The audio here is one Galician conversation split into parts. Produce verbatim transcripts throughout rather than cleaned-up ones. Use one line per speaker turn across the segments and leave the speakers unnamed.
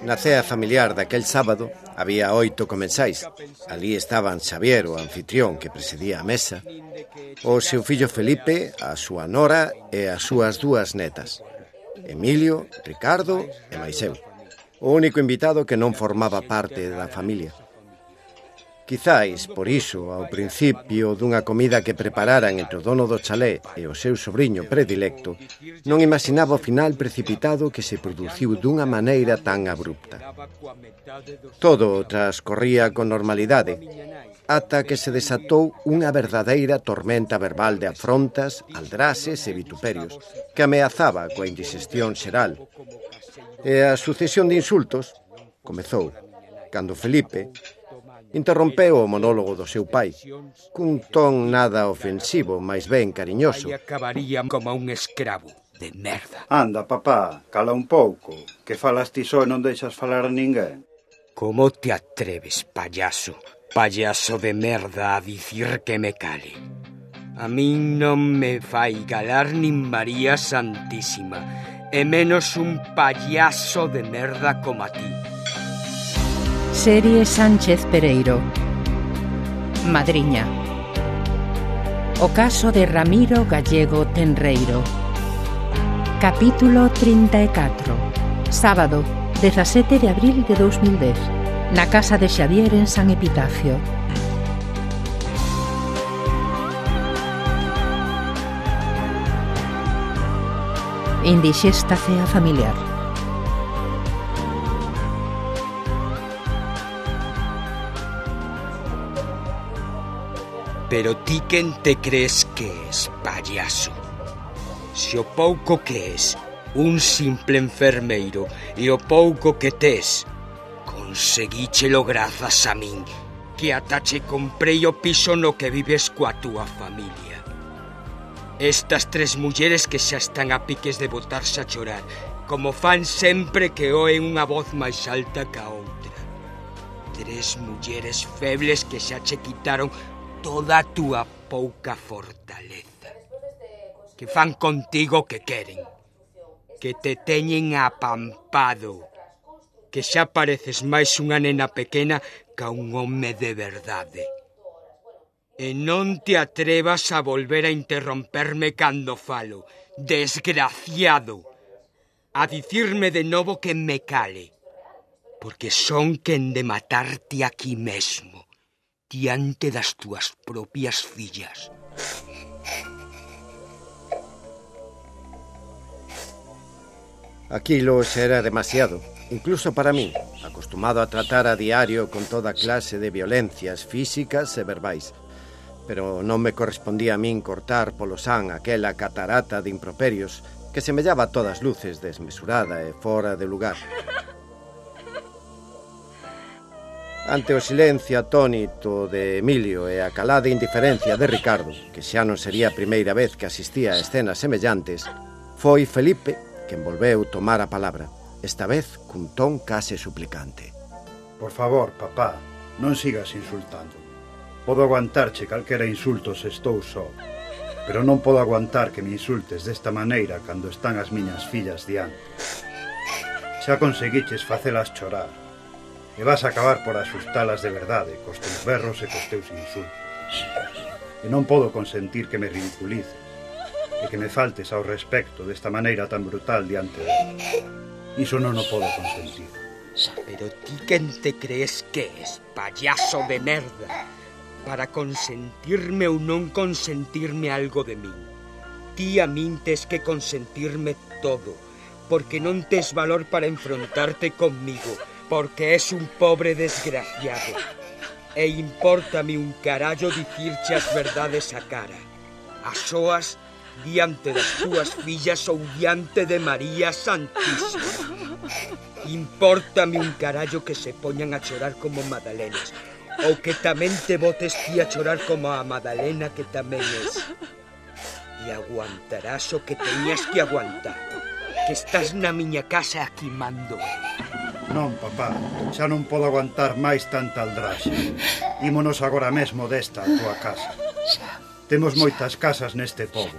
Na cea familiar daquel sábado había oito comensais. Alí estaban Xavier, o anfitrión que presidía a mesa, o seu fillo Felipe, a súa nora e as súas dúas netas, Emilio, Ricardo e máis eu, o único invitado que non formaba parte da familia. Quizáis, por iso, ao principio dunha comida que prepararan entre o dono do chalé e o seu sobrinho predilecto, non imaginaba o final precipitado que se produciu dunha maneira tan abrupta. Todo transcorría con normalidade, ata que se desatou unha verdadeira tormenta verbal de afrontas, aldrases e vituperios que ameazaba coa indigestión xeral. E a sucesión de insultos comezou cando Felipe interrompeu o monólogo do seu pai, cun ton nada ofensivo, máis ben cariñoso.
Aí acabaría como un escravo de merda.
Anda, papá, cala un pouco, que falas ti só e non deixas falar a ninguén.
Como te atreves, payaso, payaso de merda, a dicir que me cale? A min non me fai galar nin María Santísima, e menos un payaso de merda como a ti.
Serie Sánchez Pereiro. Madriña. O caso de Ramiro Gallego Tenreiro. Capítulo trinta e catro. Sábado, dezasete de abril de dous mil dez. Na casa de Xavier en San Epitafio. Indixesta cea familiar.
Pero ti quen te crees que es, payaso? Se o pouco que es un simple enfermeiro e o pouco que tes conseguíchelo grazas a min, que ata che comprei o piso no que vives coa túa familia. Estas tres mulleres que xa están a piques de botarse a chorar, como fan sempre que oen unha voz máis alta que a outra. Tres mulleres febles que xa che quitaron toda a túa pouca fortaleza, que fan contigo que queren, que te teñen apampado, que xa pareces máis unha nena pequena ca un home de verdade. E non te atrevas a volver a interromperme cando falo, desgraciado, a dicirme de novo que me cale, porque son quen de matarte aquí mesmo, diante das túas propias fillas.
Aquilo xa era demasiado, incluso para mí, acostumado a tratar a diario con toda clase de violencias físicas e verbais. Pero non me correspondía a min cortar polo san aquela catarata de improperios que semellaba a todas luces desmesurada e fora de lugar. Ante o silencio atónito de Emilio e a calada indiferencia de Ricardo, que xa non sería a primeira vez que asistía a escenas semellantes, foi Felipe quen volveu tomar a palabra, esta vez cun ton case suplicante.
Por favor, papá, non sigas insultando. Podo aguantarche calquera insulto se estou só, pero non podo aguantar que me insultes desta maneira cando están as miñas fillas diante. Xa conseguiches facelas chorar, e vas a acabar por asustalas de verdade cos teus berros e cos teus insultos. E non podo consentir que me ridiculices e que me faltes ao respecto desta maneira tan brutal diante de mí. Iso non o podo consentir.
Pero ti quen te crees que es, payaso de merda, para consentirme ou non consentirme algo de min? Ti a min tes que consentirme todo, porque non tes valor para enfrontarte conmigo, porque es un pobre desgraciado. E impórtame un carallo dicirche as verdades a cara, a soas, diante das túas fillas ou diante de María Santísima. Impórtame un carallo que se poñan a chorar como Madalenas, ou que tamén te botes ti a chorar como a Madalena que tamén es. E aguantarás o que teñas que aguantar, que estás na miña casa aquí mando.
Non, papá, xa non podo aguantar máis tanta aldraxe. Ímonos agora mesmo desta a túa casa. Temos moitas casas neste pobo,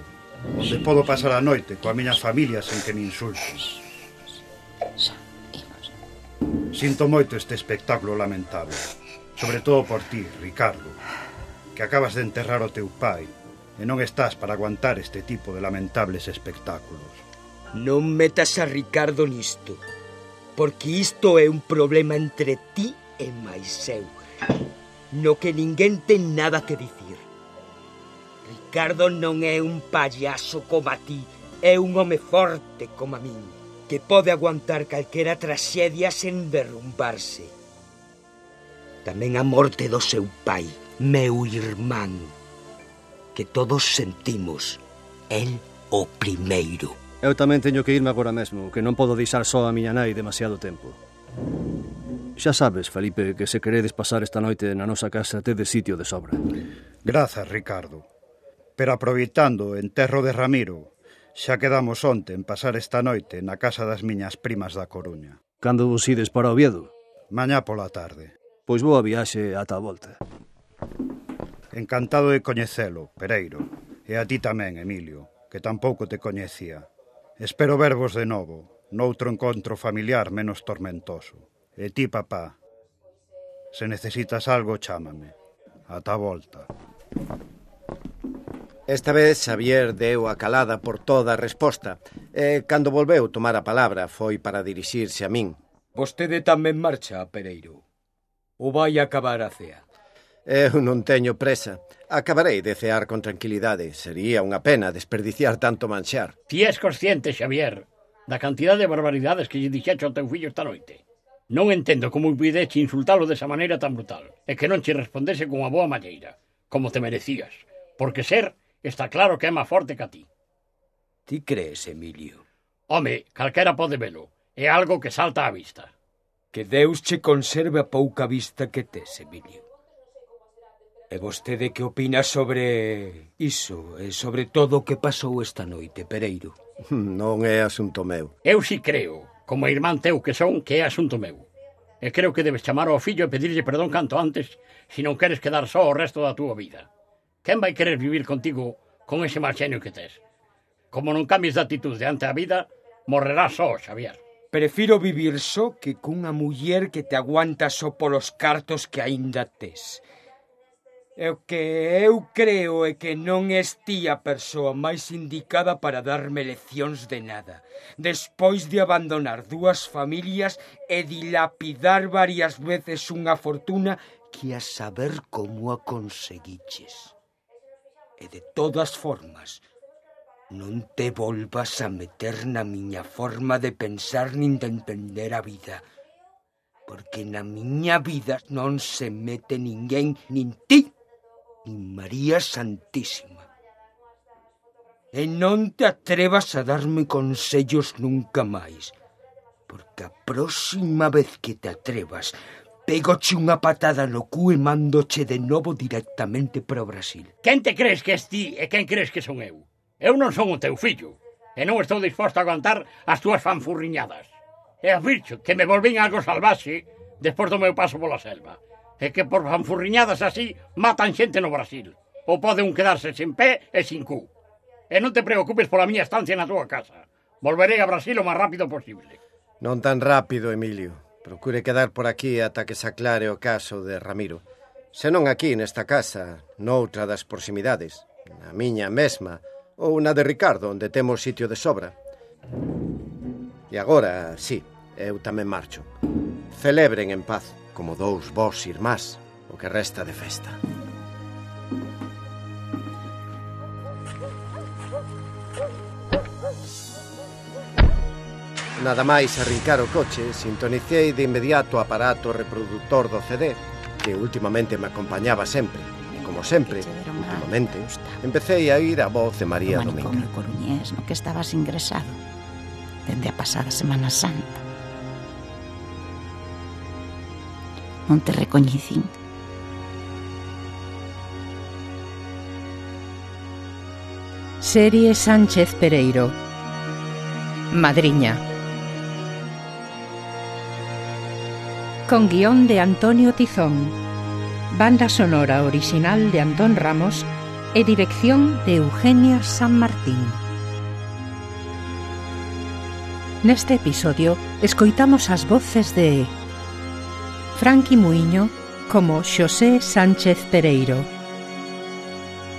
onde podo pasar a noite coa miña familia sen que me insulten. Sinto moito este espectáculo lamentable, sobre todo por ti, Ricardo, que acabas de enterrar o teu pai e non estás para aguantar este tipo de lamentables espectáculos.
Non metas a Ricardo nisto, porque isto é un problema entre ti e máis eu, no que ninguén ten nada que dicir. Ricardo non é un payaso como a ti, é un home forte como a min, que pode aguantar calquera traxedia sen derrumbarse. Tamén a morte do seu pai, meu irmán, que todos sentimos, el o primeiro.
Eu tamén teño que irme agora mesmo, que non podo deixar só a miña nai demasiado tempo. Xa sabes, Felipe, que se queredes pasar esta noite na nosa casa tedes sitio de sobra.
Grazas, Ricardo. Pero aproveitando o enterro de Ramiro, xa quedamos onte en pasar esta noite na casa das miñas primas da Coruña.
Cando vos ides para Oviedo?
Mañá pola tarde.
Pois boa viaxe ata a volta.
Encantado de coñecelo, Pereiro. E a ti tamén, Emilio, que tampouco te coñecía. Espero vervos de novo, noutro encontro familiar menos tormentoso. E ti, papá, se necesitas algo, chámame. Ata a volta.
Esta vez Xavier deu a calada por toda a resposta, e cando volveu tomar a palabra foi para dirixirse a min.
Vostede tamén marcha, Pereiro. Ou vai acabar a cea?
Eu non teño presa. Acabarei de cear con tranquilidade. Sería unha pena desperdiciar tanto manxar.
Ti és consciente, Xavier, da cantidad de barbaridades que lle dixecho ao teu fillo esta noite. Non entendo como puideche insultalo desa maneira tan brutal e que non che respondese con unha boa malleira, como te merecías, porque ser está claro que é máis forte que a ti.
Ti crees, Emilio?
Home, calquera pode velo. É algo que salta á vista.
Que Deus che conserve a pouca vista que tes, Emilio. E vostede que opina sobre iso e sobre todo o que pasou esta noite, Pereiro?
Non é asunto meu.
Eu si creo, como irmán teu que son, que é asunto meu. E creo que debes chamar ao fillo e pedirlle perdón canto antes se non queres quedar só o resto da túa vida. Quen vai querer vivir contigo con ese mal xenio que tes? Como non cambies de actitude ante a vida, morrerás só, Xavier.
Prefiro vivir só que cunha muller que te aguanta só polos cartos que aínda tes. E o que eu creo é que non es ti a persoa máis indicada para darme leccións de nada, despois de abandonar dúas familias e dilapidar varias veces unha fortuna que a saber como a conseguiches. E de todas formas, non te volvas a meter na miña forma de pensar nin de entender a vida, porque na miña vida non se mete ninguén, nin ti, nin María Santísima. E non te atrevas a darme consellos nunca máis, porque a próxima vez que te atrevas, pégoche unha patada no cu e mándoche de novo directamente para o Brasil.
Quen te crees que es ti e quen crees que son eu? Eu non son o teu fillo, e non estou disposto a aguantar as túas fanfurriñadas. E afircho que me volvín algo salvaxe despois do meu paso pola selva. E que por fanfurriñadas así matan xente no Brasil. Ou pode un quedarse sin pé e sin cu. E non te preocupes pola miña estancia na túa casa. Volverei a Brasil o máis rápido posible.
Non tan rápido, Emilio. Procure quedar por aquí ata que se aclare o caso de Ramiro. Se non aquí, nesta casa, noutra das proximidades, na miña mesma, ou na de Ricardo, onde temos sitio de sobra. E agora, sí, eu tamén marcho. Celebren en paz, como dous vós irmás, o que resta de festa. Nada máis arrincar o coche, sintonicei de inmediato o aparato reproductor do C D, que últimamente me acompañaba sempre. E como sempre, últimamente, empecé a ir a voz de María Dominga.
O manicomio coruñés no que estabas ingresado dende a pasada Semana Santa. Non te recoñecín.
Serie Sánchez Pereiro. Madriña. Con guión de Antonio Tizón. Banda sonora original de Antón Ramos e dirección de Eugenia San Martín. Neste episodio escoitamos as voces de Franqui Muiño como Xosé Sánchez Pereiro,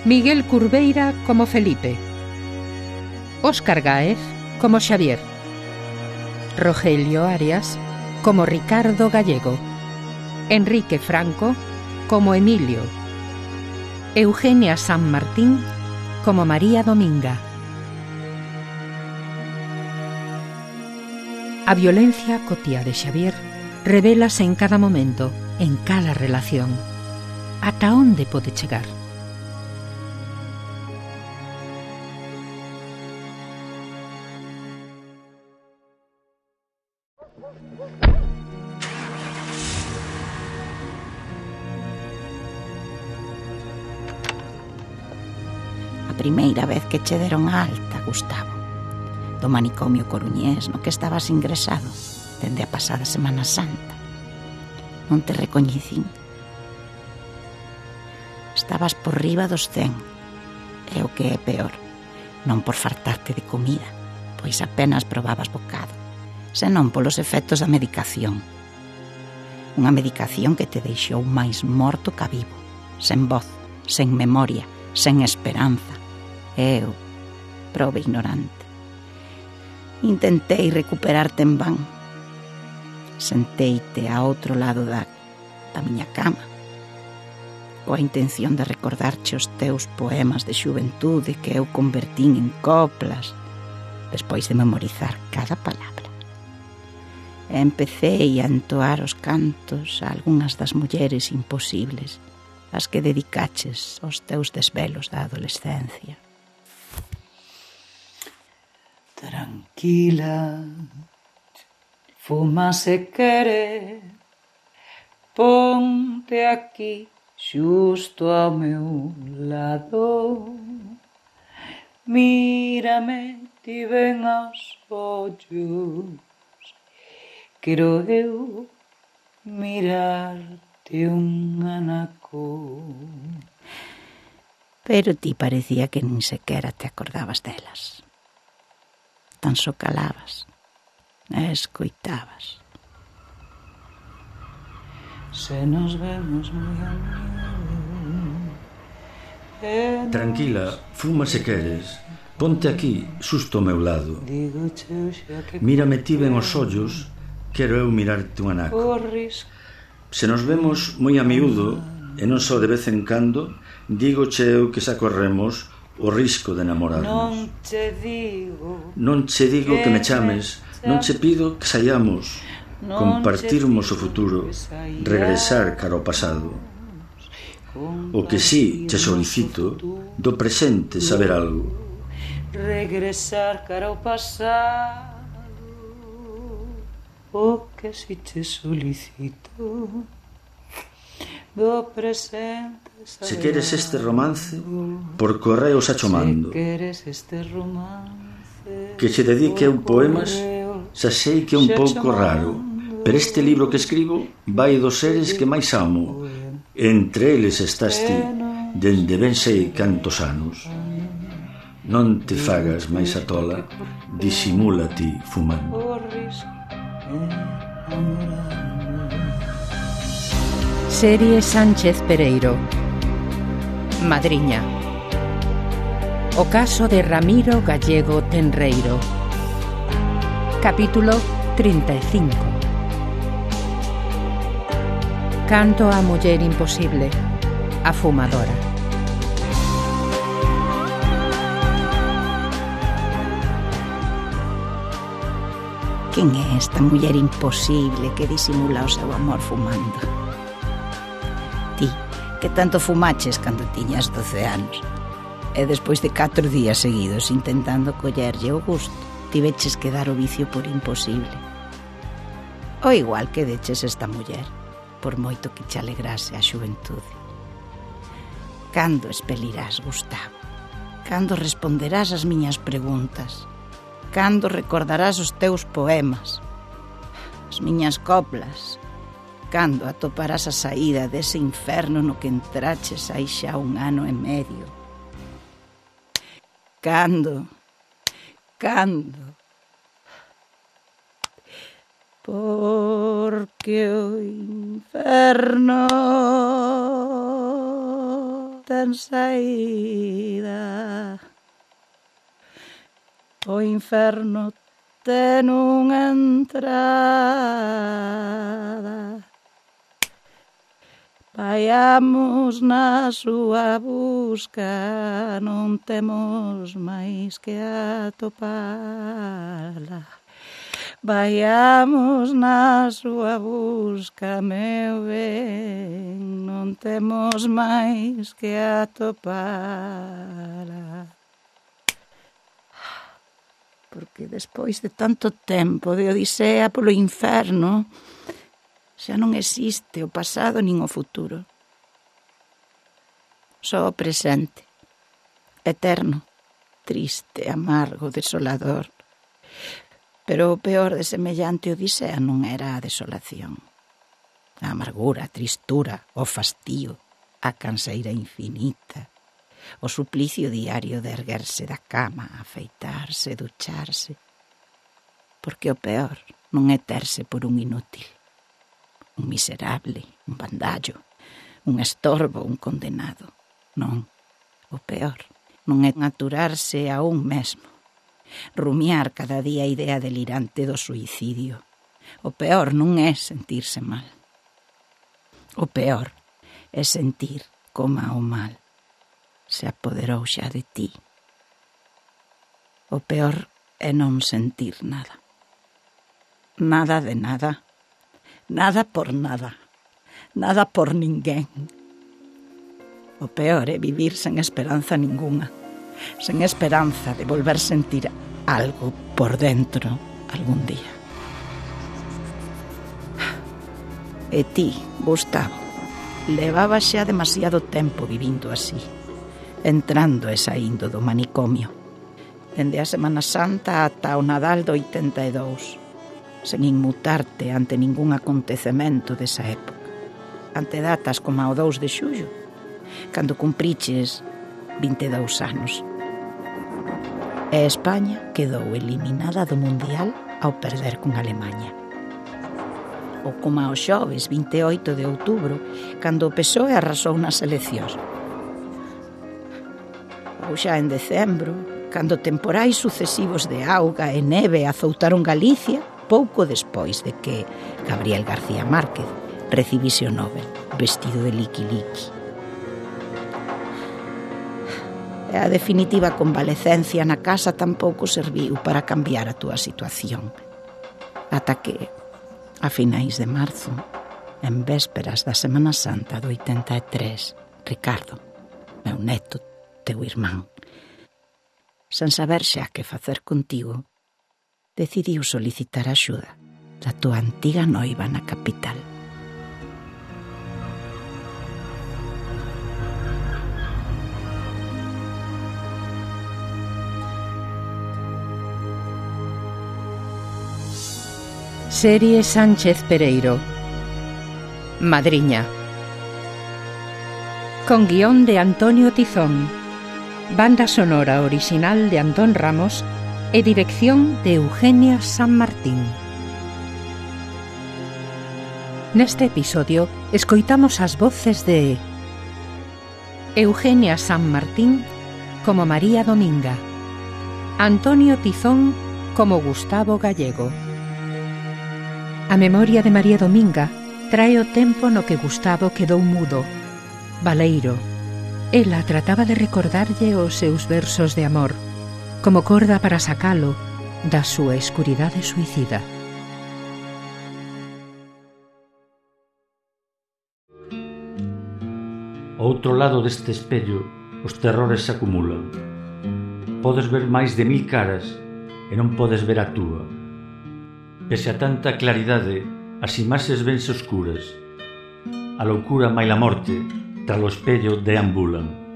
Miguel Curveira como Felipe, Óscar Gáez como Xavier, Rogelio Arias como Ricardo Gallego, Enrique Franco como Emilio, Eugenia San Martín como María Dominga. A violencia cotía de Xavier revélase en cada momento, en cada relación. Ata onde pode chegar?
A primeira vez que che deron a alta, Gustavo, do manicomio coruñés no que estabas ingresado dende a pasada Semana Santa. Non te recoñecín. Estabas por riba dos cen, e o que é peor, non por fartarte de comida, pois apenas probabas bocado, senón polos efectos da medicación. Unha medicación que te deixou máis morto ca vivo, sen voz, sen memoria, sen esperanza. E eu, probe ignorante, intentei recuperarte en van. Senteite a outro lado da, da miña cama, coa intención de recordarche os teus poemas de xuventude que eu convertín en coplas, despois de memorizar cada palabra. E empecéi a entoar os cantos a algunhas das mulleres imposibles, as que dedicaches aos teus desvelos da adolescencia.
Tranquila, fuma se quere, ponte aquí xusto ao meu lado, mírame ti ben aos ollos, quero eu mirarte un anaco.
Pero ti parecía que nin sequera te acordabas delas. Tan só calabas e escoitabas.
Se nos vemos moi amigo.
Tranquila, fuma se queres. Ponte aquí, xusto ao meu lado. Mírame ti ben os ollos, quero eu mirarte un anaco. Se nos vemos moi a miúdo, e non só de vez en cando, dígoche eu que xa corremos o risco de enamorarnos.
Non che digo,
non che digo que me chames, non che pido que saiamos, compartirmos o futuro, regresar cara ao pasado. O que sí che solicito, do presente saber algo.
Regresar cara ao pasado. O que si che solicito, do presente.
Se queres este romance, por correo xa cho mando. Que che dedique eu poemas, xa sei que é un pouco raro, pero este libro que escribo vai dos seres que máis amo. Entre eles estás ti, dende ben sei cantos anos. Non te fagas máis a tola, disimula ti fumando.
Serie Sánchez Pereiro. Madriña. O caso de Ramiro Gallego Tenreiro. Capítulo trinta e cinco. Canto á muller imposible, a fumadora.
Quen é esta muller imposible que disimula o seu amor fumando? Ti, que tanto fumaches cando tiñas doce anos, e despois de catro días seguidos intentando collerlle o gusto, tiveches que dar o vicio por imposible. O igual que deches esta muller, por moito que che alegrase a xuventude. Cando espelirás, Gustavo? Cando responderás as miñas preguntas? Cando recordarás os teus poemas? As miñas coplas? Cando atoparás a saída dese inferno no que entraches hai xa un ano e medio? cando? Cando? Porque o inferno ten saída. O inferno ten unha entrada. Vaiamos na súa busca, non temos máis que atopala. Vaiamos na súa busca, meu ben, non temos máis que atopala. Porque despois de tanto tempo de odisea polo inferno, xa non existe o pasado nin o futuro. Só o presente, eterno, triste, amargo, desolador. Pero o peor de semellante odisea non era a desolación. A amargura, a tristura, o fastío, a canseira infinita, o suplicio diario de erguerse da cama, afeitarse, ducharse. Porque o peor non é terse por un inútil, un miserable, un bandallo, un estorbo, un condenado. Non, o peor non é aturarse a un mesmo, rumiar cada día a idea delirante do suicidio. O peor non é sentirse mal. O peor é sentir como o mal se apoderou xa de ti. O peor é non sentir nada. Nada de nada. Nada por nada. Nada por ninguén. O peor é vivir sen esperanza ninguna. Sen esperanza de volver sentir algo por dentro algún día. E ti, Gustavo, levaba xa demasiado tempo vivindo así, entrando e saindo do manicomio, dende a Semana Santa ata o Nadal do oitenta e dous, sen inmutarte ante ningún acontecemento desa época, ante datas como o dous de xullo, cando cumpriches vinte e dous anos. E España quedou eliminada do Mundial ao perder con Alemaña. Ou como ao xoves vinte e oito de outubro, cando o P S O E arrasou nas eleccións. Ou xa en decembro, cando temporais sucesivos de auga e neve azoutaron Galicia, pouco despois de que Gabriel García Márquez recibise o Nobel vestido de liqui-liqui. E a definitiva convalecencia na casa tampouco serviu para cambiar a túa situación. Ata que, a finais de marzo, en vésperas da Semana Santa do oitenta e tres, Ricardo, meu neto, teu irmán, sen saber xa que facer contigo, decidiu solicitar axuda da túa antiga noiva na capital.
Serie Sánchez Pereiro. Madriña. Con guión de Antonio Tizón, banda sonora original de Antón Ramos e dirección de Eugenia San Martín. Neste episodio escoitamos as voces de Eugenia San Martín como María Dominga, Antonio Tizón como Gustavo Gallego. A memoria de María Dominga trae o tempo no que Gustavo quedou mudo, baleiro. Ela trataba de recordarlle os seus versos de amor, como corda para sacalo da súa escuridade suicida.
Ao outro lado deste espello, os terrores se acumulan. Podes ver máis de mil caras e non podes ver a túa. Pese a tanta claridade, as imaxes vense oscuras. A loucura maila morte, tras o espello deambulan.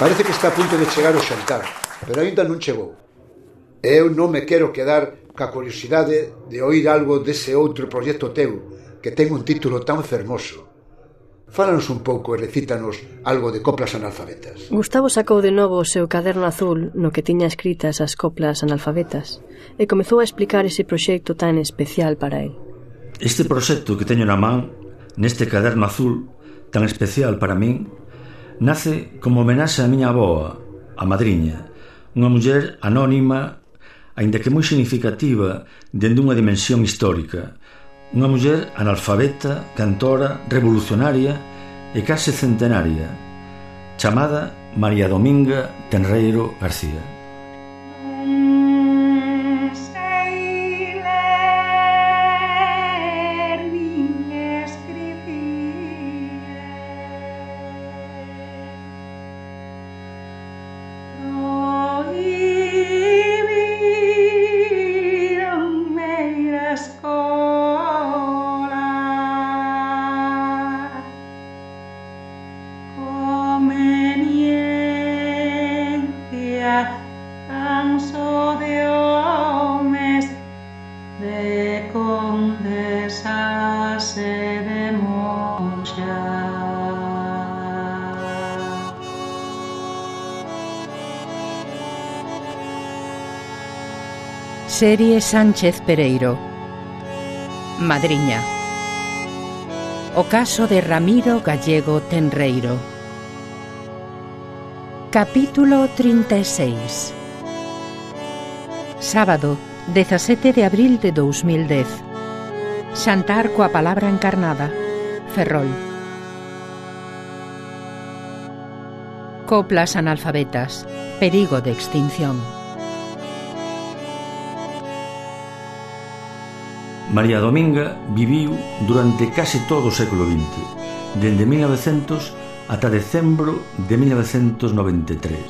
Parece que está a punto de chegar o xantar, pero aínda non chegou. Eu non me quero quedar ca curiosidade de oír algo dese outro proxecto teu, que ten un título tan fermoso. Fálanos un pouco e recítanos algo de coplas analfabetas.
Gustavo sacou de novo o seu caderno azul no que tiña escritas as coplas analfabetas e comezou a explicar ese proxecto tan especial para el.
Este proxecto que teño na man, neste caderno azul tan especial para min, nace como homenaxe á miña avoa, a madriña, unha muller anónima, aínda que moi significativa dende unha dimensión histórica, unha muller analfabeta, cantora, revolucionaria e case centenaria, chamada María Dominga Tenreiro García.
Serie Sánchez Pereiro. Madriña. O caso de Ramiro Gallego Tenreiro. Capítulo trinta e seis. Sábado, dezasete de abril de dous mil dez. Xantar coa palabra encarnada. Ferrol. Coplas analfabetas. Perigo de extinción.
María Dominga viviu durante case todo o século vinte, dende mil novecentos ata decembro de mil novecentos noventa e tres.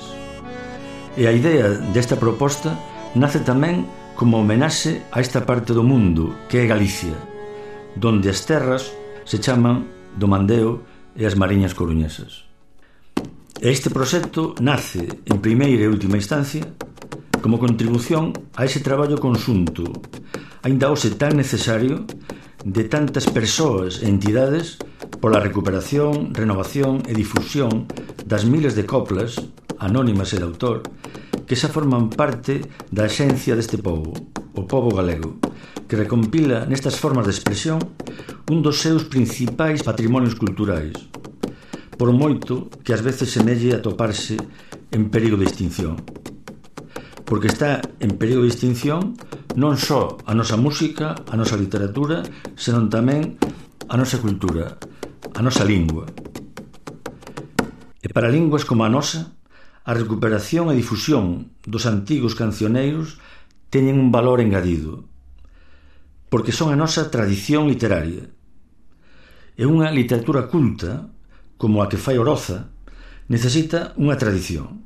E a idea desta proposta nace tamén como homenaxe a esta parte do mundo que é Galicia, donde as terras se chaman do Mandeo e as Mariñas Coruñesas. E este proxecto nace, en primeira e última instancia, como contribución a ese traballo conxunto, aínda hoxe tan necesario, de tantas persoas e entidades pola recuperación, renovación e difusión das miles de coplas, anónimas e de autor, que xa forman parte da esencia deste pobo, o pobo galego, que recompila nestas formas de expresión un dos seus principais patrimonios culturais, por moito que ás veces semelle a toparse en perigo de extinción. Porque está en perigo de extinción non só a nosa música, a nosa literatura, senón tamén a nosa cultura, a nosa lingua. E para linguas como a nosa, a recuperación e difusión dos antigos cancioneiros teñen un valor engadido, porque son a nosa tradición literaria. E unha literatura culta, como a que fai Oroza, necesita unha tradición.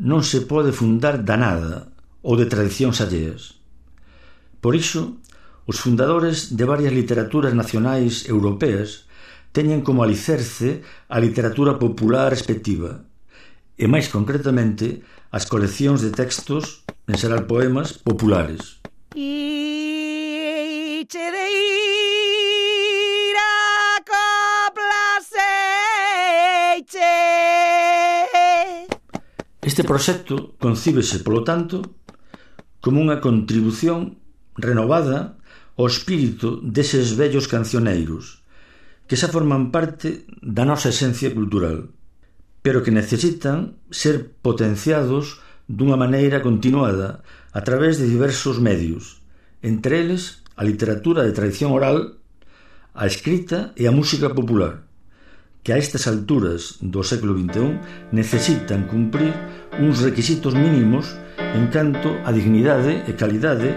Non se pode fundar da nada ou de tradicións alleas. Por iso, os fundadores de varias literaturas nacionais europeas teñen como alicerce a literatura popular respectiva, e máis concretamente as coleccións de textos, en xeral poemas, populares.
Iche de ir a coplaseiche.
Este proxecto concíbese, polo tanto, como unha contribución renovada ao espírito deses vellos cancioneiros que xa forman parte da nosa esencia cultural, pero que necesitan ser potenciados dunha maneira continuada a través de diversos medios, entre eles a literatura de tradición oral, a escrita e a música popular, que a estas alturas do século vinte e un necesitan cumprir uns requisitos mínimos en canto a dignidade e calidade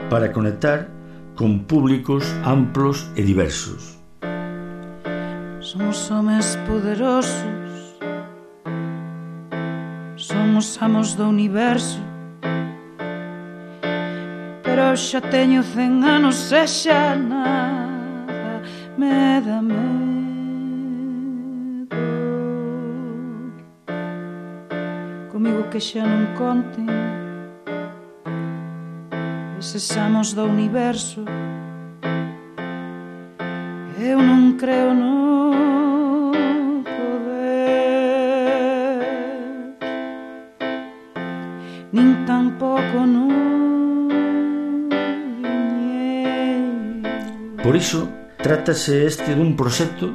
para conectar con públicos amplos e diversos.
Somos homes poderosos, somos amos do universo, pero xa teño cen anos e xa nada me dá medo. que xa non conten eses amos do universo. Eu non creo no poder, nin tampouco no viñeiro.
Por iso, trátase este dun proxecto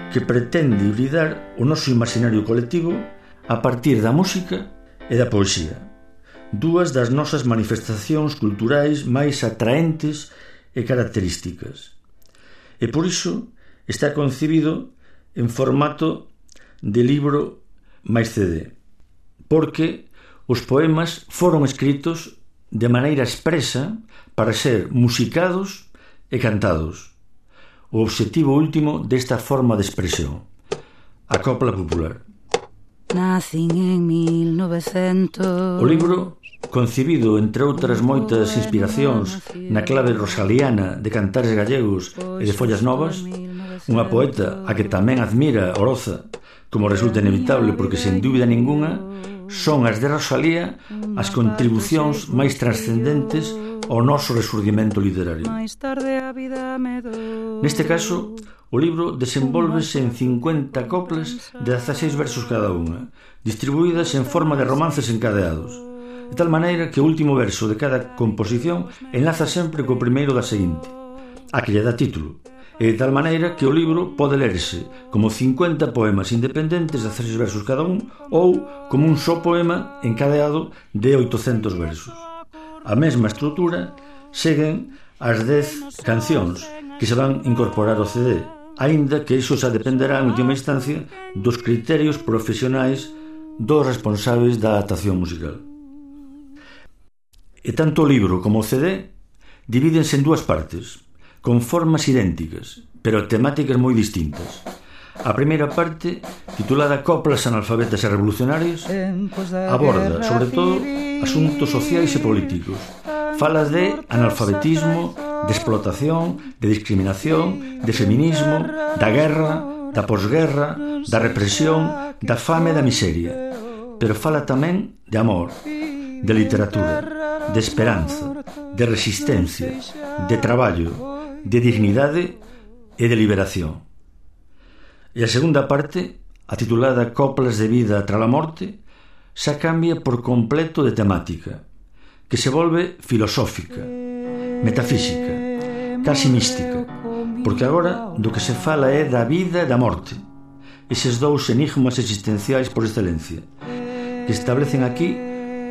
que pretende hibridar o noso imaginario colectivo a partir da música e da poesía, dúas das nosas manifestacións culturais máis atraentes e características. E por iso está concebido en formato de libro máis C D, porque os poemas foron escritos de maneira expresa para ser musicados e cantados. O obxectivo último desta forma de expresión, a copla popular.
Nacín en mil novecentos.
O libro, concebido entre outras moitas inspiracións na clave rosaliana de cantares gallegos e de follas novas, unha poeta a que tamén admira Oroza, como resulta inevitable porque sen dúbida ninguna son as de Rosalía as contribucións máis trascendentes ao noso resurdimento literario. Neste caso, o libro desenvólvese en cincuenta coplas de dezaseis versos cada unha, distribuídas en forma de romances encadeados, de tal maneira que o último verso de cada composición enlaza sempre co primeiro da seguinte, a que lle dá título, e de tal maneira que o libro pode lerse como cincuenta poemas independentes de dezaseis versos cada un ou como un só poema encadeado de oitocentos versos. A mesma estrutura seguen as dez cancións que se van incorporar ao C D, aínda que iso xa dependerá en última instancia dos criterios profesionais dos responsables da adaptación musical. E tanto o libro como o C D divídense en dúas partes, con formas idénticas, pero temáticas moi distintas. A primeira parte, titulada Coplas analfabetas e revolucionarias, aborda, sobre todo, asuntos sociais e políticos. Fala de analfabetismo, de explotación, de discriminación, de feminismo, da guerra, da posguerra, da represión, da fame e da miseria. Pero fala tamén de amor, de literatura, de esperanza, de resistencia, de traballo, de dignidade e de liberación. E a segunda parte, a titulada Coplas de vida tras a morte, xa cambia por completo de temática, que se volve filosófica, metafísica, casi mística, porque agora do que se fala é da vida e da morte, eses dous enigmas existenciais por excelencia, que establecen aquí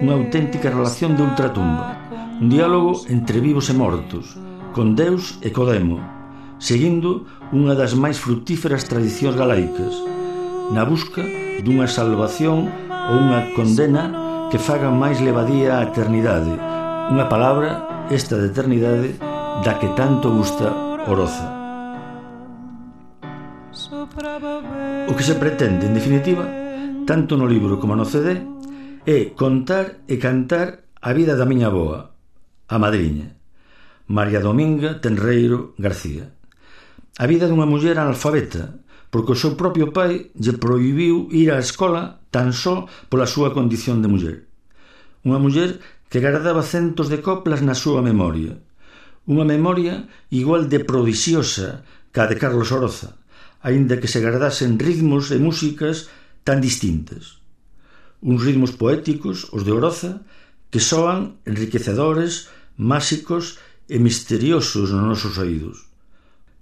unha auténtica relación de ultratumba, un diálogo entre vivos e mortos, con Deus e co demo, seguindo unha das máis frutíferas tradicións galaicas, na busca dunha salvación ou unha condena que faga máis levadía a eternidade, unha palabra, esta de eternidade, da que tanto gusta Oroza. O que se pretende, en definitiva, tanto no libro como no C D, é contar e cantar a vida da miña avoa, a madriña, María Dominga Tenreiro García. A vida dunha muller analfabeta, porque o seu propio pai lle prohibiu ir á escola tan só pola súa condición de muller. Unha muller que guardaba centos de coplas na súa memoria. Unha memoria igual de prodixiosa ca de Carlos Oroza, aínda que se guardasen ritmos e músicas tan distintas. Uns ritmos poéticos, os de Oroza, que soan enriquecedores, máxicos e misteriosos nos nosos oídos.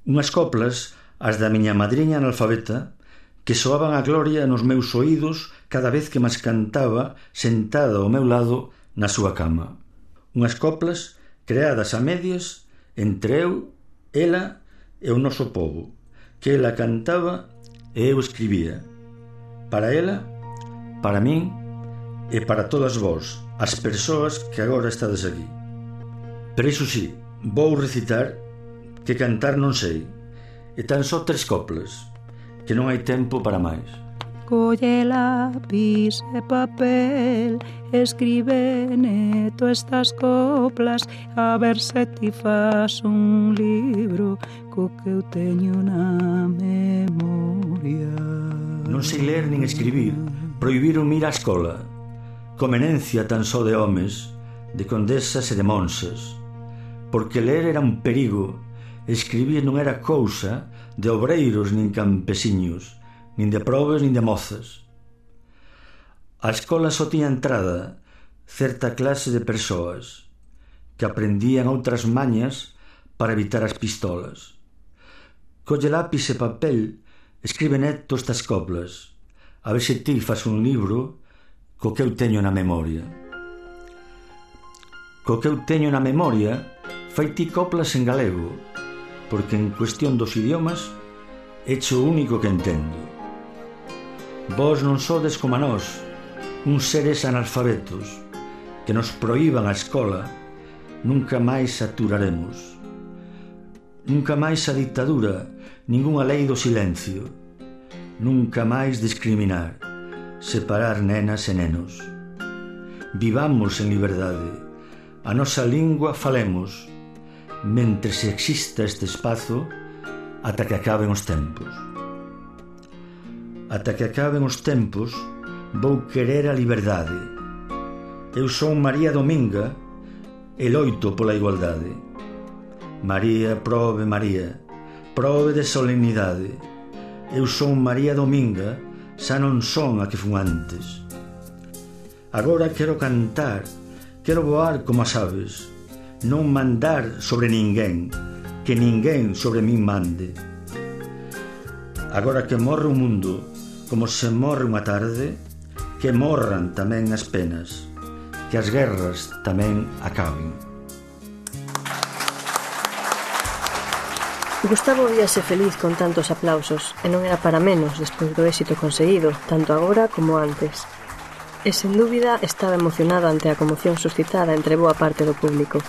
Unhas coplas, as da miña madriña analfabeta, que soaban a gloria nos meus oídos cada vez que mas cantaba sentada ao meu lado na súa cama. Unhas coplas creadas a medias entre eu, ela e o noso pobo, que ela cantaba e eu escribía. Para ela, para min e para todas vós, as persoas que agora estades aquí. Pero iso sí, vou recitar que cantar non sei, e tan só tres coplas, que non hai tempo para máis.
Colle lápis e papel, escribe neto estas coplas, a ver se ti fas un libro co que eu teño na memoria.
Non sei ler nin escribir, prohibiron ir á escola. Comenencia tan só de homes, de condesas e de monsas, porque ler era un perigo, escribir non era cousa de obreiros nin campesiños, nin de probes nin de mozas. A escola só tiña entrada certa clase de persoas que aprendían outras mañas para evitar as pistolas. Colle lápis e papel, escribe neto estas coplas, a ver se ti fas un libro co que eu teño na memoria. Co que eu teño na memoria, fai ti coplas en galego, porque en cuestión dos idiomas echo o único que entendo. Vós non sodes como a nós, uns seres analfabetos, que nos proíban a escola, nunca máis aturaremos. Nunca máis a dictadura, ningunha lei do silencio. Nunca máis discriminar, separar nenas e nenos. Vivamos en liberdade, a nosa lingua falemos, mentres exista este espazo ata que acaben os tempos. Ata que acaben os tempos vou querer a liberdade. Eu son María Dominga e loito pola igualdade. María, prove María, prove de solemnidade. Eu son María Dominga, xa non son a que fun antes. Agora quero cantar, quero voar como as aves, non mandar sobre ninguén, que ninguén sobre min mande. Agora que morre o mundo, como se morre unha tarde, que morran tamén as penas, que as guerras tamén acaben.
Gustavo víase feliz con tantos aplausos, e non era para menos despois do éxito conseguido, tanto agora como antes. E sen dúbida estaba emocionado ante a conmoción suscitada entre boa parte do público.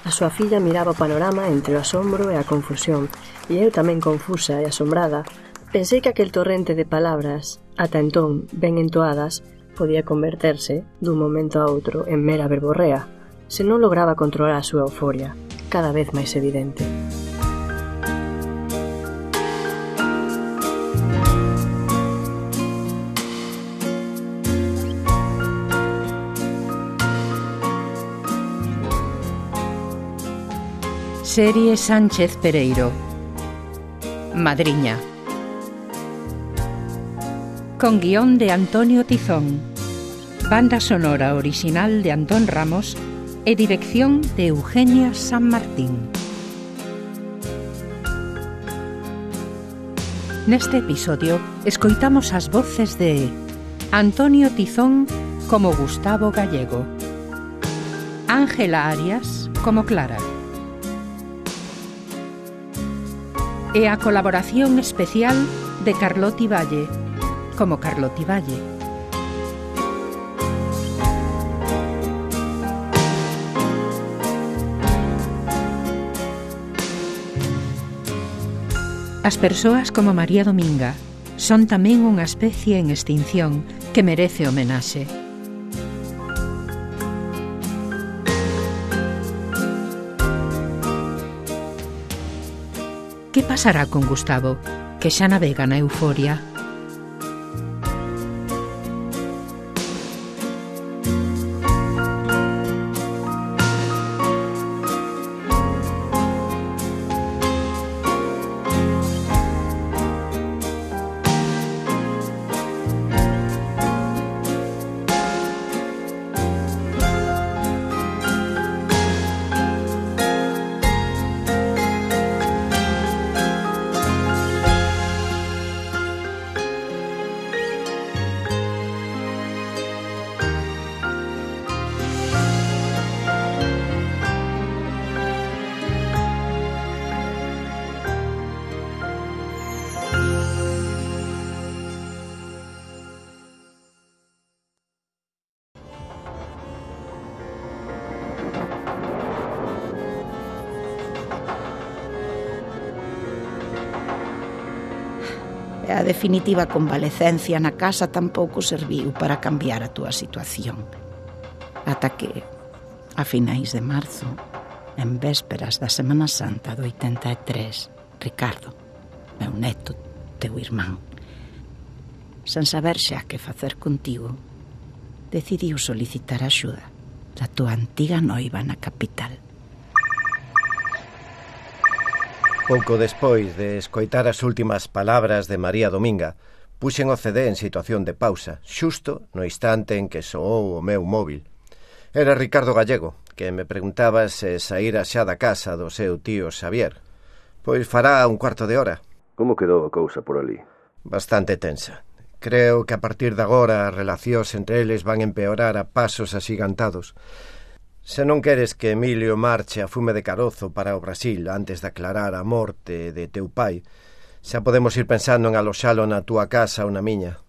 A súa filla miraba o panorama entre o asombro e a confusión, e eu tamén confusa e asombrada, pensei que aquel torrente de palabras, ata entón ben entoadas, podía converterse, dun momento a outro, en mera verborrea, se non lograba controlar a súa euforia, cada vez máis evidente.
Serie Sánchez Pereiro. Madriña. Con guión de Antonio Tizón. Banda sonora original de Antón Ramos e dirección de Eugenia San Martín. Neste episodio escoitamos as voces de Antonio Tizón como Gustavo Gallego, Ángela Arias como Clara, e a colaboración especial de Carloti Valle, como Carloti Valle. As persoas como María Dominga son tamén unha especie en extinción que merece homenaxe. Que pasará con Gustavo, que xa navega na euforia?
A definitiva convalecencia na casa tampouco serviu para cambiar a túa situación. Ata que, a finais de marzo, en vésperas da Semana Santa do oitenta e tres, Ricardo, meu neto, teu irmán, sen saber xa que facer contigo, decidiu solicitar axuda da túa antiga noiva na capital.
Pouco despois de escoitar as últimas palabras de María Dominga, puxen o C D en situación de pausa, xusto no instante en que soou o meu móvil. Era Ricardo Gallego, que me preguntaba se saíra xa da casa do seu tío Xavier. Pois fará un cuarto de hora.
Como quedou a cousa por ali?
Bastante tensa. Creo que a partir de agora as relacións entre eles van empeorar a pasos axigantados. Se non queres que Emilio marche a fume de carozo para o Brasil antes de aclarar a morte de teu pai, xa podemos ir pensando en aloxalo na túa casa ou na miña.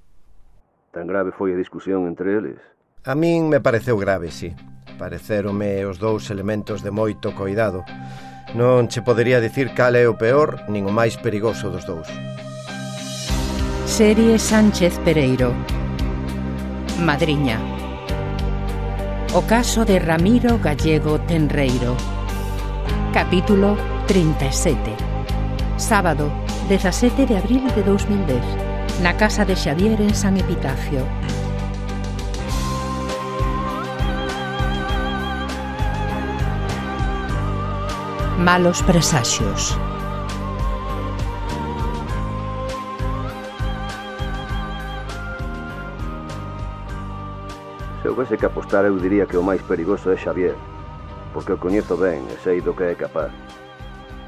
Tan grave foi a discusión entre eles?
A min me pareceu grave, sí. Parecérome os dous elementos de moito coidado. Non che podería dicir cal é o peor nin o máis perigoso dos dous.
Serie Sánchez Pereiro. Madriña. O caso de Ramiro Gallego Tenreiro. Capítulo trinta e sete. Sábado, dezasete de abril de dous mil dez. Na casa de Xavier en San Epitafio. Malos presaxios.
Se houvese que apostar, eu diría que o máis perigoso é Xavier, porque o coñezo ben e sei do que é capaz.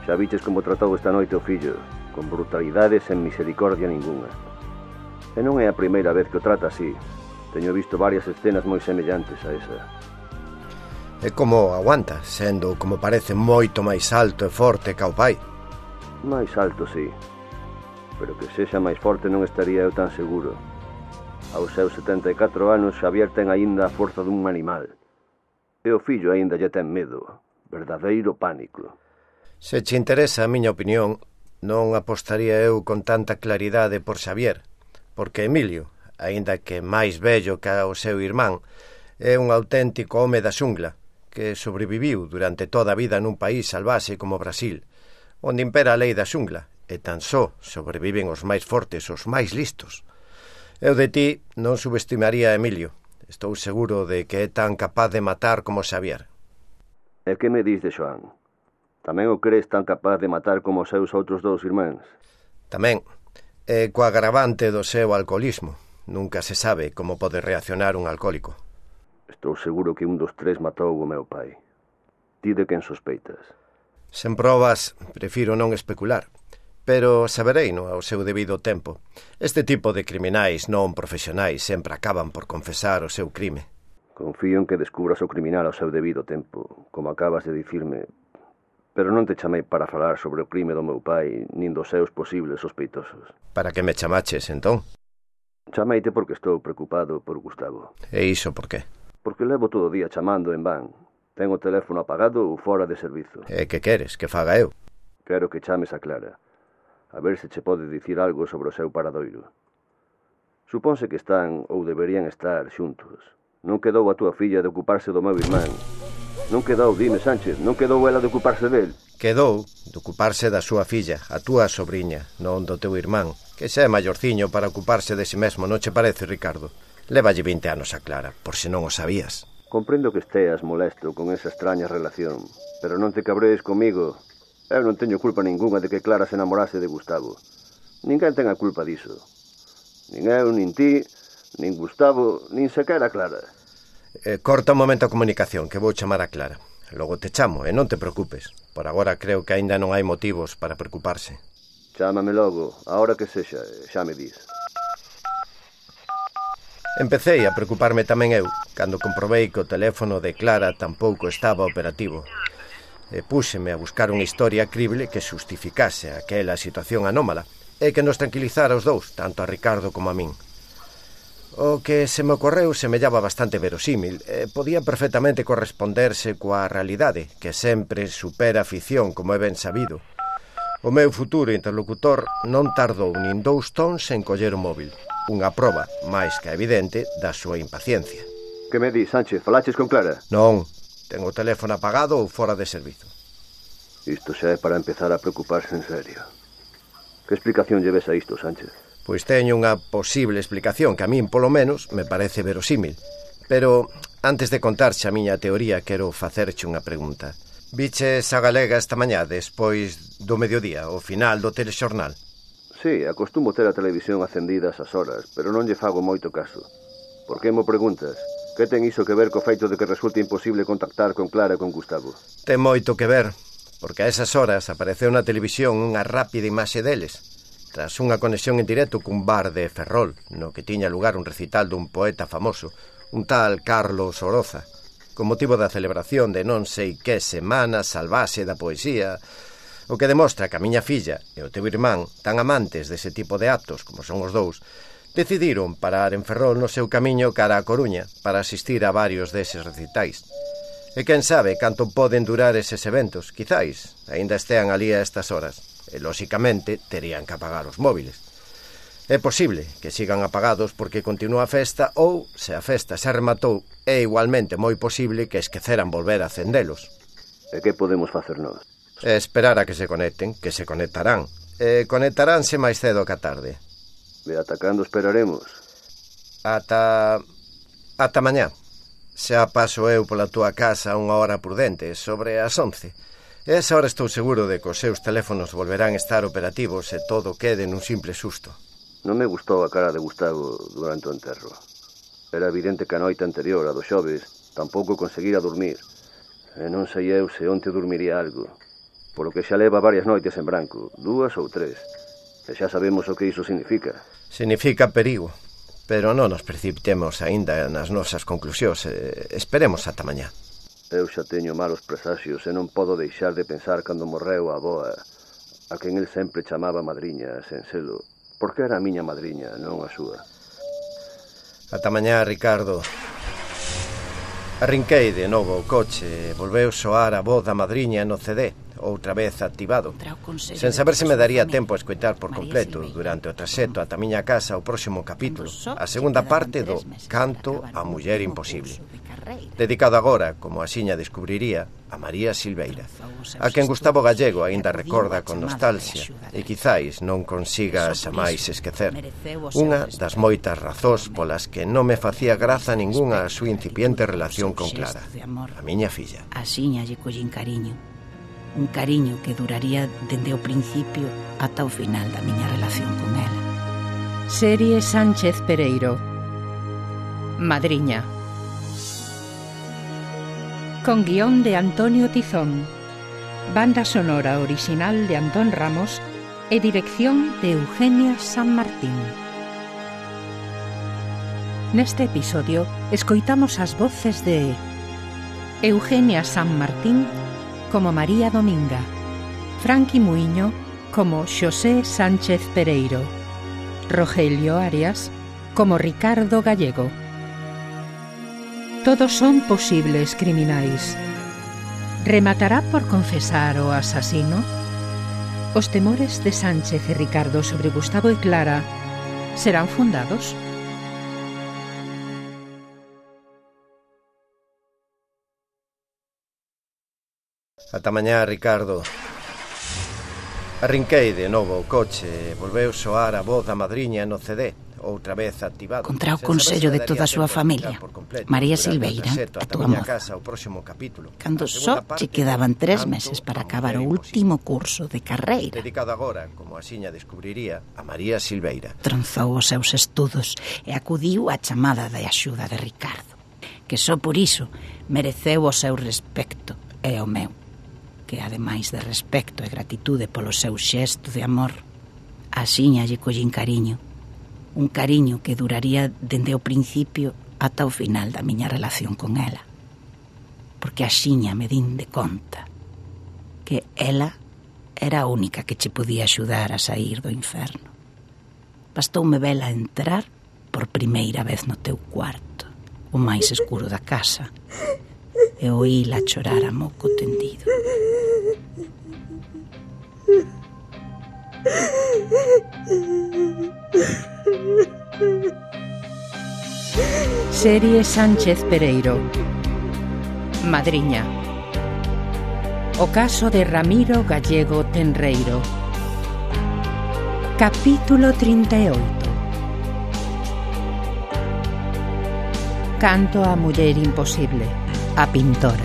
Xa viches como tratou esta noite o fillo, con brutalidade sen misericordia ninguna. E non é a primeira vez que o trata así. Teño visto varias escenas moi semellantes a esa.
É como aguanta, sendo, como parece, moito máis alto e forte ca o pai.
Máis alto, sí. Pero que sexa máis forte non estaría eu tan seguro. Aos seus setenta e catro anos, Xavier ten aínda a forza dun animal. E o fillo aínda lle ten medo. Verdadeiro pánico.
Se che interesa a miña opinión, non apostaría eu con tanta claridade por Xavier, porque Emilio, aínda que máis vello que o seu irmán, é un auténtico home da xungla, que sobreviviu durante toda a vida nun país salvaxe como Brasil, onde impera a lei da xungla, e tan só sobreviven os máis fortes, os máis listos. Eu de ti non subestimaría a Emilio. Estou seguro de que é tan capaz de matar como Xavier.
E que me dis de Xoán? Tamén o crees tan capaz de matar como os seus outros dous irmáns?
Tamén. E co agravante do seu alcoholismo. Nunca se sabe como pode reaccionar un alcohólico.
Estou seguro que un dos tres matou o meu pai. Ti de quen sospeitas?
Sen probas, prefiro non especular. Pero sabereino ao seu debido tempo. Este tipo de criminais non profesionais sempre acaban por confesar o seu crime.
Confío en que descubras o criminal ao seu debido tempo, como acabas de dicirme. Pero non te chamei para falar sobre o crime do meu pai, nin dos seus posibles sospeitosos.
Para que me chamaches, entón?
Chameite porque estou preocupado por Gustavo.
E iso por qué?
Porque levo todo o día chamando en van. Ten o teléfono apagado ou fora de servizo.
E que queres? Que faga eu?
Quero que chames a Clara. A ver se che pode dicir algo sobre o seu paradoiro. Supónse que están ou deberían estar xuntos. Non quedou a túa filla de ocuparse do meu irmán. Non quedou, dime, Sánchez, non quedou ela de ocuparse del?
Quedou de ocuparse da súa filla, a túa sobriña, non do teu irmán, que xa é maiorciño para ocuparse de si mesmo, non che parece, Ricardo? Lévalle vinte anos a Clara, por se non o sabías.
Comprendo que esteas molesto con esa extraña relación, pero non te cabrees comigo. Eu non teño culpa ninguna de que Clara se enamorase de Gustavo. Ninguén ten a culpa diso. Nin eu, nin ti, nin Gustavo, nin sequera Clara.
Eh, corta un momento a comunicación, que vou chamar a Clara. Logo te chamo, e non te preocupes. Por agora creo que aínda non hai motivos para preocuparse.
Chámame logo, a hora que sexa, xa me dis.
Empecei a preocuparme tamén eu, cando comprobei que o teléfono de Clara tampouco estaba operativo. E púxeme a buscar unha historia crible que xustificase aquela situación anómala e que nos tranquilizara os dous, tanto a Ricardo como a min. O que se me ocorreu semellaba bastante verosímil e podía perfectamente corresponderse coa realidade, que sempre supera a ficción, como é ben sabido. O meu futuro interlocutor non tardou nin dous tons en coller o móvil. Unha proba, máis que evidente, da súa impaciencia.
Que me dis, Sánchez? Falaches con Clara?
Non, ten o teléfono apagado ou fora de servizo.
Isto xa é para empezar a preocuparse en serio. Que explicación lleves a isto, Sánchez?
Pois teño unha posible explicación que a min, polo menos, me parece verosímil. Pero antes de contarche a miña teoría, quero facerche unha pregunta. Viches a Galega esta mañá, despois do mediodía, ao final do telexornal?
Sí, acostumo ter a televisión acendida esas horas, pero non lle fago moito caso. Por que mo preguntas? Que ten iso que ver co feito de que resulte imposible contactar con Clara e con Gustavo?
Ten moito que ver, porque a esas horas apareceu na televisión unha rápida imaxe deles, tras unha conexión en directo cun bar de Ferrol, no que tiña lugar un recital dun poeta famoso, un tal Carlos Oroza, con motivo da celebración de non sei que semana salvaxe da poesía, o que demostra que a miña filla e o teu irmán, tan amantes dese tipo de actos como son os dous, decidiron parar en Ferrol no seu camiño cara a Coruña para asistir a varios deses recitais. E quen sabe canto poden durar eses eventos, quizáis, aínda estean ali a estas horas, e lóxicamente terían que apagar os móviles. É posible que sigan apagados porque continúa a festa ou, se a festa se rematou, é igualmente moi posible que esqueceran volver a acendelos.
E que podemos facer nós?
É esperar a que se conecten, que se conectarán. E conectaránse máis cedo que a tarde.
E ata cando esperaremos?
Ata... ata mañá. Xa paso eu pola túa casa unha hora prudente, sobre as once. E esa hora estou seguro de que os seus teléfonos volverán a estar operativos e todo quede nun simple susto.
Non me gustou a cara de Gustavo durante o enterro. Era evidente que a noite anterior, a do xoves, tampouco conseguira dormir. E non sei eu se onte dormiría algo. Polo que xa leva varias noites en branco, dúas ou tres. E xa sabemos o que iso significa.
Significa perigo. Pero non nos precipitemos aínda nas nosas conclusións. Esperemos ata mañá.
Eu xa teño malos presaxios e non podo deixar de pensar cando morreu a avoa, a quen el sempre chamaba madriña, sen selo, porque era a miña madriña, non a súa.
Ata mañá, Ricardo. Arrinquei de novo o coche e volveu soar a voz da madriña no C D, outra vez activado, sen saber se me daría tempo a escoitar por completo durante o traxecto ata a miña casa o próximo capítulo, a segunda parte do Canto a Muller Imposible, dedicado agora, como axiña descubriría, a María Silveira, a quen Gustavo Gallego aínda recorda con nostalgia e quizáis non consiga xa máis esquecer. Unha das moitas razóns polas que non me facía graza ningunha a súa incipiente relación con Clara, a miña filla.
Axiña lle collín cariño, un cariño que duraría dende o principio ata o final da miña relación con ela.
Serie Sánchez Pereiro. Madriña. Con guión de Antonio Tizón, banda sonora original de Antón Ramos e dirección de Eugenia San Martín. Neste episodio escoitamos as voces de Eugenia San Martín como María Dominga, Franqui Muiño como Xosé Sánchez Pereiro, Rogelio Arias como Ricardo Gallego. Todos son posibles criminais. Rematará por confesar o asasino? Os temores de Sánchez e Ricardo sobre Gustavo e Clara serán fundados?
Ata mañá, Ricardo. Arrinquei de novo o coche e volveu soar a voz da madriña no C D, outra vez activado.
Contra o consello de toda a súa familia, María Silveira, a túa moza, cando só che quedaban tres meses para acabar o último curso de carreira.
Dedicado agora, como axiña descubriría, a María Silveira.
Tronzou os seus estudos e acudiu á chamada de axuda de Ricardo, que só por iso mereceu o seu respecto e o meu, que ademais de respecto e gratitude polo seu xesto de amor, axiña lle collín cariño, un cariño que duraría dende o principio ata o final da miña relación con ela, porque axiña me din de conta que ela era a única que che podía axudar a sair do inferno. Bastoume vela entrar por primeira vez no teu cuarto, o máis escuro da casa, e oíla chorar a moco tendido.
Serie Sánchez Pereiro. Madriña. O caso de Ramiro Gallego Tenreiro. Capítulo treinta e oito. Canto a muller imposible, a pintora.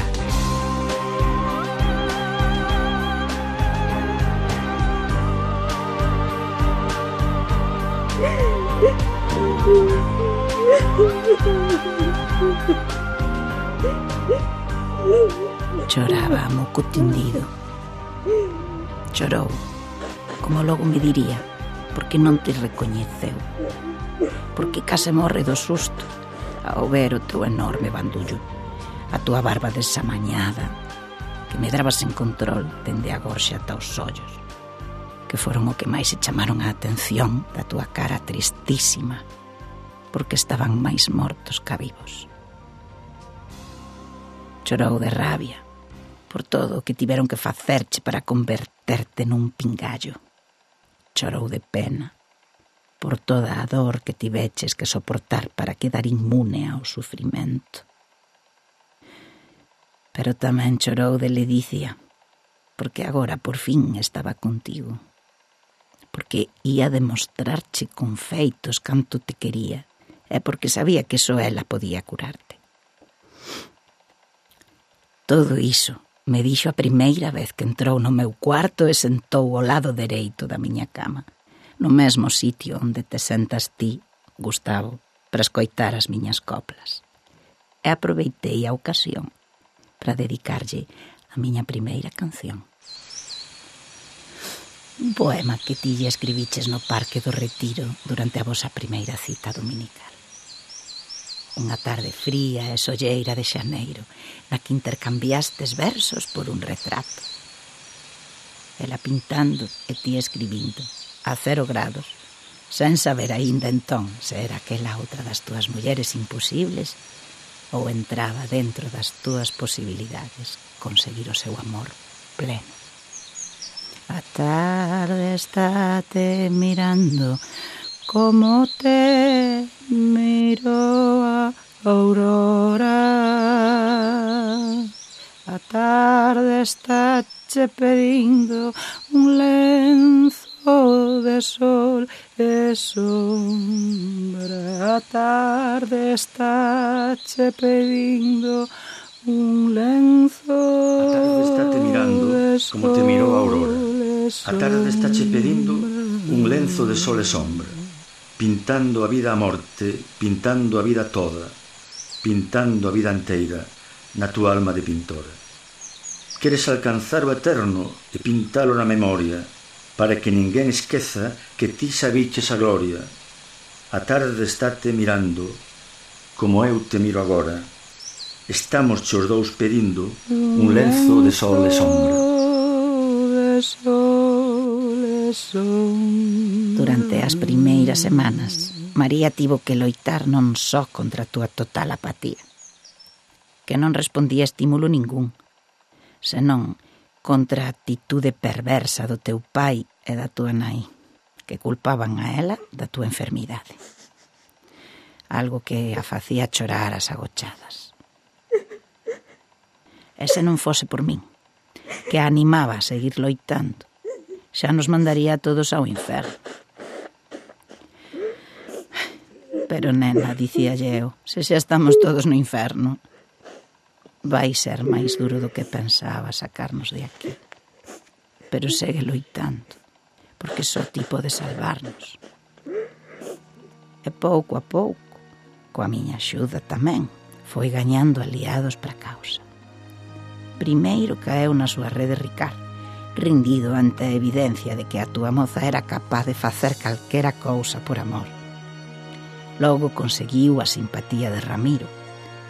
Choraba a moco tendido. Chorou, como logo me diría, porque non te recoñeceu, porque case morre do susto ao ver o teu enorme bandullo, a túa barba desamañada, que medraba sen control dende a gorxa ata os ollos, que foron o que máis se chamaron a atención da túa cara tristísima, porque estaban máis mortos ca vivos. Chorou de rabia por todo o que tiveron que facerche para converterte nun pingallo. Chorou de pena por toda a dor que tiveches que soportar para quedar inmune ao sufrimento. Pero tamén chorou de ledicia, porque agora por fin estaba contigo, porque ia demostrarche con feitos canto te quería, e porque sabía que só ela podía curarte. Todo iso me dixo a primeira vez que entrou no meu cuarto e sentou ao lado dereito da miña cama, no mesmo sitio onde te sentas ti, Gustavo, para escoitar as miñas coplas. E aproveitei a ocasión para dedicarlle a miña primeira canción. Un poema que ti lle escribiches no Parque do Retiro durante a vosa primeira cita dominical. Unha tarde fría e solleira de xaneiro, na que intercambiastes versos por un retrato. Ela pintando e ti escribindo, a cero grados, sen saber aínda entón se era aquela outra das túas mulleres imposibles ou entraba dentro das túas posibilidades conseguir o seu amor pleno. A tarde estáte mirando como te miro a aurora. A tarde estáche pedindo un lenzo de sol e sombra. A tarde estáche pedindo un lenzo de sol.
A tarde estáte mirando como te mirou a aurora. A tarde estáche pedindo un lenzo de sol e sombra, pintando a vida a morte, pintando a vida toda, pintando a vida inteira na túa alma de pintora. Queres alcanzar o eterno e pintalo na memoria, para que ninguén esqueza que ti sabiches a gloria. A tarde estáte mirando como eu te miro agora. Estamos os dous pedindo un lenzo de sol e sombra.
Durante as primeiras semanas, María tivo que loitar non só contra a túa total apatía, que non respondía a estímulo ningún, senón contra a actitude perversa do teu pai e da túa nai, que culpaban a ela da túa enfermidade. Algo que a facía chorar as agochadas. E se non fose por min, que a animaba a seguir loitando, xa nos mandaría a todos ao inferno. Pero, nena, dicíalle eu, se xa estamos todos no inferno, vai ser máis duro do que pensaba sacarnos de aquí. Pero segue loitando, porque só ti pode salvarnos. E pouco a pouco, coa miña axuda tamén, foi gañando aliados para a causa. Primeiro caeu na súa rede Ricard, rendido ante a evidencia de que a túa moza era capaz de facer calquera cousa por amor. Logo conseguiu a simpatía de Ramiro,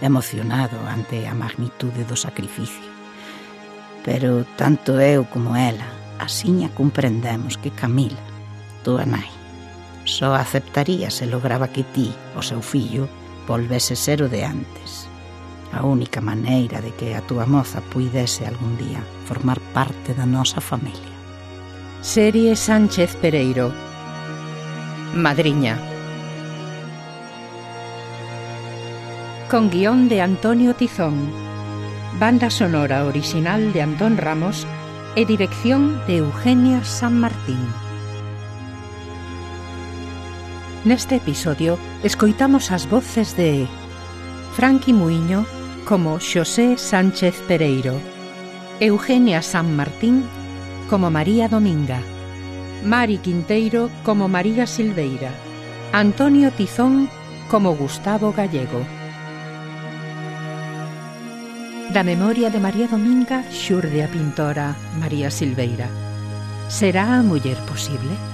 emocionado ante a magnitude do sacrificio. Pero tanto eu como ela asiña comprendemos que Camila, túa nai, só aceptaría se lograba que ti, o seu fillo, volvese ser o de antes. A única maneira de que a túa moza puidese algún día formar parte da nosa familia.
Serie Sánchez Pereiro. Madriña. Con guión de Antonio Tizón, banda sonora original de Antón Ramos e dirección de Eugenia San Martín. Neste episodio escoitamos as voces de Franqui Muiño como Xosé Sánchez Pereiro, Eugenia San Martín como María Dominga, Mari Quinteiro como María Silveira, Antonio Tizón como Gustavo Gallego. Da memoria de María Dominga xurde a pintora María Silveira. Será a muller posible?